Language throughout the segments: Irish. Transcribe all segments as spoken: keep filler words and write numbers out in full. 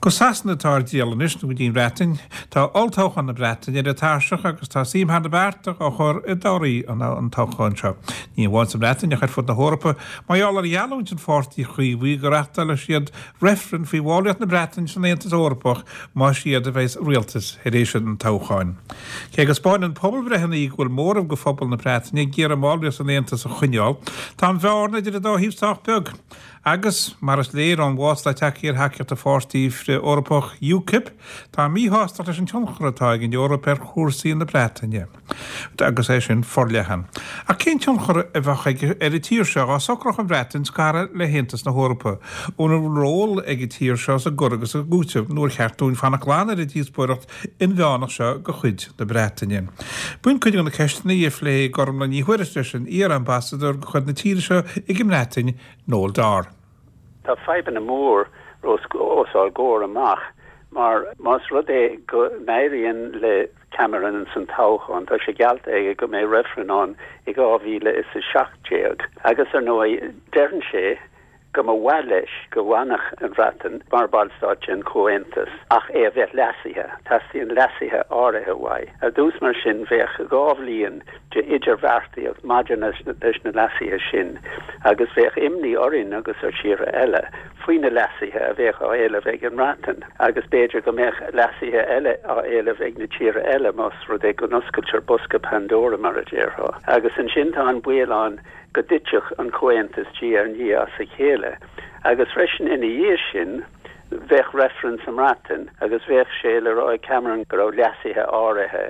Go Sasana atá ár dtriall anois nó go dtí an Bhreatain, tá olltoghchán na Breataine ar an tairseach agus tá suim thar na bearta á chur i dtorthaí an, an toghcháin seo. Ní amháin sa Bhreatain ach ar fud na hEorpa, mar gheall ar gheallúint an pháirtí Chaomhaigh go reáchtálfaidh siad reifreann faoi bhallraíocht na Breataine san Aontas Eorpach más iad a bheas sa rialtas tar éis an toghcháin. Cé go spáineann pobalbhreitheanna go bhfuil móramh de phobal na Breataine ag iarraidh a mballraíocht san Aontas a choinneáil, tá an bhearna idir an dá thaobh sách beag. Agus mar is léir ón bhfás atá tagtha ar thacaíocht an pháirtí frith-Eorpach UKIP, tá míshástacht leis an tionchar atá ag an Eoraip ar chúrsaí na Breataine. agus é sin forleathan. Ach cén tionchar a bheadh ag ar an tír seo dá socródh an Bhreatain scaradh le hAontas na hEorpa. An bhfuil ról ag an tír seo sa gcur agus sa gcúiteamh nó ar cheart dúinn fanacht glan ar an díospóireacht inmheánach seo de chuid na Breataine. B'in cuid de na ceisteanna a phléigh Gormlaith Ní Thuairisg leis an iar-ambasadóir de chuid na tíre seo ag an mBreatain Noel Dorr. Tá fadhbanna mór os ár gcomhair amach mar más rud é go n-éiríonn le Cameron san toghchán tá sé geallta aige go mbeidh reifreann ann i dhá mhíle is a seacht déag agus ar ndóigh deireann sé go mba mhaith leis go bhfanfadh an Bhreatain mar bhallstát den Chomhaontas ach é a bheith leasaithe, teastaíonn leasuithe áirithe uaidh. Ar dtús mar sin bheadh dhá bhliain de idirbheartaíocht maidir leis na leasuithe sin agus bheadh imní orainn agus ar thíortha eile faoi na leasuithe a bheadh á éileamh ag an mBreatain agus b'fhéidir go mbeadh leasuithe eile á éileamh ag na tíortha eile más rud é go n-oscailtear bosca Pandora mar a déarfá. Agus ansin tá an baol ann go dtitfeadh an Comhaontas diaidh ar ndiaidh as a chéile. Agus freisin ina dhiaidh sin bheadh reifreann sa mBreatain agus bheadh sé le rá ag Cameron go raibh leasuithe áirithe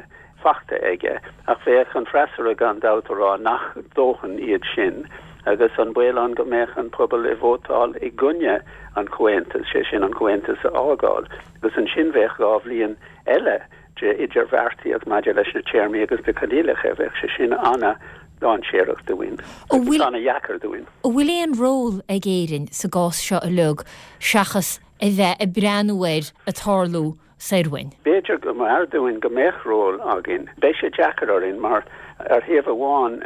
faighte aige ach bheadh an freasúra gan dabht ag rá nach dóthain iad sin agus an baol ann go mbeadh an pobal ag vótáil i gcoinne an Chomhaontais, sé sin an Comhaontas a fhágáil, agus ansin bheadh dhá bhliain eile de idirbheartaíocht maidir leis na téarmaí agus na coinníollacha bheadh sé sin an-dainséarach dúinn an-deacair dúinn. An bhfuil aon ról ag Éirinn sa gcás seo uilig seachas a bheith ag breathnú air ag tarlú soir uainn. B'fhéidir go mb'fhearr dúinn go mbeadh ról againn. Beidh sé deacair orainn mar ar thaobh amháin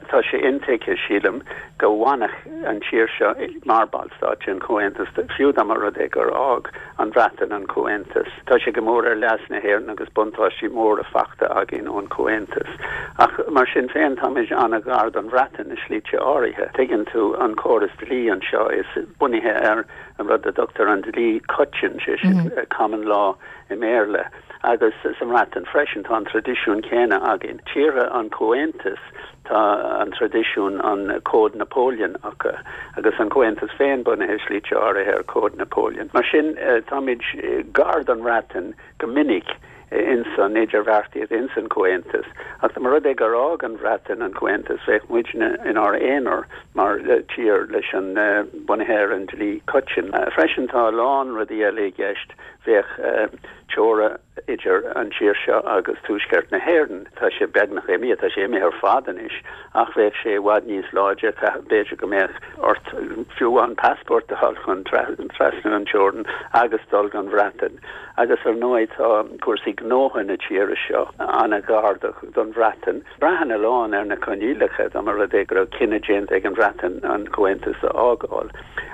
tá sé intuigthe sílim go bhfanfadh an tír seo mar bhallstát den Chomhaontas fiú dá mba rud é gur fhág an Bhreatain an Comhaontas. Tá sé go mór ar leas na hÉireann agus buntáistí móra faighte againn ón Chomhaontas. Ach mar sin féin táimid an-ghar don Bhreatain i slite áirithe. Tuigeann tú an córas dlí anseo is bunaithe ar an rud a dtugtar an dlí coiteann sé sin mm -hmm. common law i mBéarla. agus sa mBreatain freisin tá an traidisiún céanna againn. Tíortha an Chomhaontais tá an traidisiún an Cód Napoleon acu agus an Comhaontas féin bunaithe slite áirithe ar Cód Napoleon. Mar sin eh, táimid eh, gar don Bhreatain go minic in san idirbheartaíocht in san Comhaontas. Ach mar rud é gur fhág an Bhreatain an Comhaontas bheadh muidne inár n-aonar mar tír leis an uh, bunaithe ar an dlí coiteann. Uh, freisin tá lán rudaí eile i gceist bheadh uh, teora idir an tír seo agus tuaisceart na hÉireann. Tá sé beagnach imithe tá sé imithe ar fad anois ach bheadh sé i bhfad níos láidre b'fhéidir go mbeadh ort fiú an passport a fháil chun trasnú an teorainn agus dul go an Bhreatain. Agus ar ndóigh tá cúrsaí gnótha na tíre seo an-ghar don Bhreatain. Braitheann a lán ar na coinníollacha dá mba rud é go raibh cinneadh déanta ag an Bhreatain an Comhaontas a fhágáil.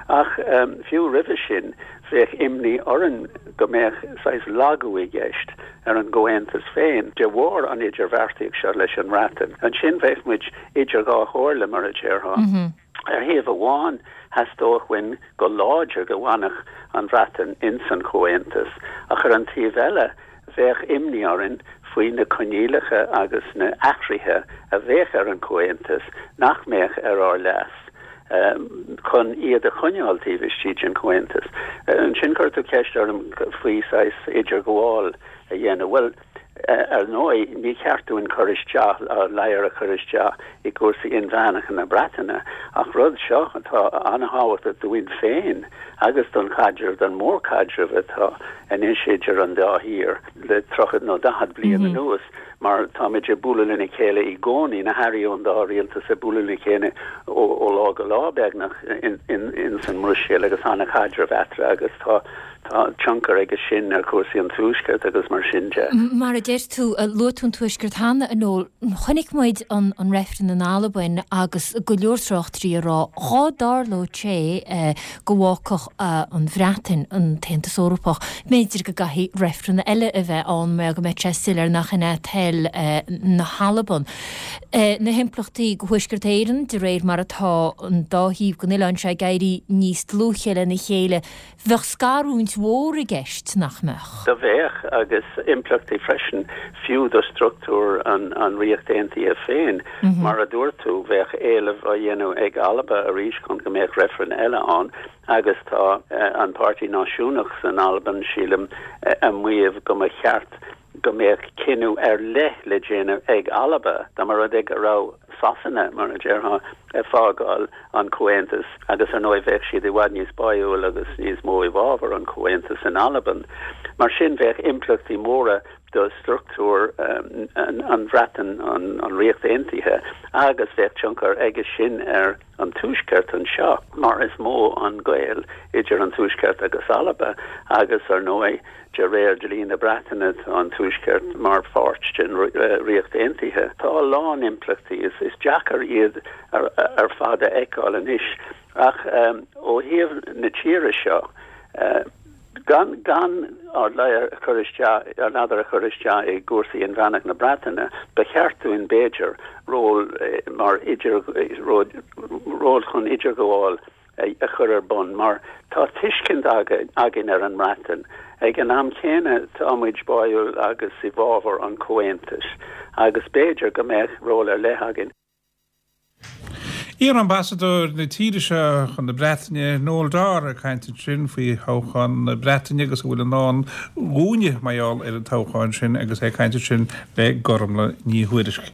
Ach um, fiú roimhe sin bheadh imní orainn go mbeadh saghas lagú i gceist ar an gComhaontas féin de bharr an idirbheartaíocht seo leis an mBreatain. Ansin bheadh muid idir dhá chomhairle mar a déarfá. Mm -hmm. Ar thaobh amháin theastódh uainn go láidir go bhfanfadh an Bhreatain in san Chomhaontas ach ar an taobh eile bheadh imní orainn faoi na coinníollacha agus na hathruithe a bheadh ar an Chomhaontas nach mbeadh ar ár leas. Um, chun iad a choinneáil taobh istigh den Chomhaontas. Ansin chuir tú ceist orm faoi saghas idirghabháil a dhéanamh. Well, ar ndóigh ní ceart dúinn cur isteach ladhar a chur isteach i gcúrsaí inmheánacha na Breataine ach rud seo atá an-tábhachtach dúinn féin agus don chaidreamh don mhórchaidreamh atá anois idir an dá thír le tríocha nó daichead bliain mm -hmm. anuas. mar táimid ag bualadh lena chéile i gcónaí, na hairí ón dá rialtas ag bualadh lena chéile ó lá go lá beagnach in san mBruiséil agus an-chaidreamh eatarthu agus tá tá tionchar aige sin ar chúrsaí an Tuaiscirt agus mar sin de. Mar a deir tú, luaigh tú an Tuaisceart cheana, a Noel, chonaic muid an an reifreann in Albain agus go leor tráchtairí ag rá dhá dtarlódh sé go bhfágfadh an Bhreatain an tAontas Eorpach, b'fhéidir go gcaithfidh reifreann eile a bheith ann mar go mbeidh sé soiléir nach in é toil na hAlban. Na himpleachtaí go Thuaisceart Éireann de réir mar atá an dá thaobh den oileán seo ag éirí níos dlúithe lena chéile, bheadh scarúint mhór i gceist, nach mbeadh? Do bheadh, agus impleachtaí freisin, fiú do struchtúr an an Ríocht Aontaithe féin. Mar a dúirt tú, bheadh éileamh á dhéanamh ag Alba arís chun go mbeadh reifreann eile ann, agus tá an Páirtí Náisiúnach san Albain, sílim, ag maíomh go mba cheart go mbeadh cinneadh ar leith le déanamh ag Alba, dá mba rud é go raibh Sasana, mar a déarfá, ag fágáil an Chomhaontais agus ar ndóigh bheadh siad i bhfad níos báúil agus níos mó i bhfabhar an Chomhaontais in Albain. Mar sin bheadh impleachtaí móra do struchtúr an Bhreatain, an Ríocht Aontaithe agus bheadh tionchar aige sin ar an Tuaisceart anseo mar is mó an gaol idir an Tuaisceart agus Alba agus ar ndóigh De réir dlí na Breataine tá an Tuaisceart mar pháirt den Ríocht Aontaithe. Tá a lán impleachtaí, is deacair iad ar fad a fheiceáil anois, ach ó thaobh na tíre seo, gan gan ár ladhar a chur isteach, ár ladhar a chur isteach i gcúrsaí inmheánach na Breataine, ba cheart dúinn, b'fhéidir, ról mar idir, ról chun idirghabháil a chur ar bun mar tá tuiscint againn ar an mBreatain. Ag an am céanna tá muid báúil agus i bhfabhar an Chomhaontais agus b'fhéidir go mbeadh ról ar leith againn. Iar-ambasadóir na tíre seo chun na Breataine, Noel Dorr, ag caint ansin faoi thoghchán na Breataine agus a bhfuil i ndán dhúinne mar gheall ar an toghchán sin agus é ag caint ansin le Gormlaith Ní Thuairisg.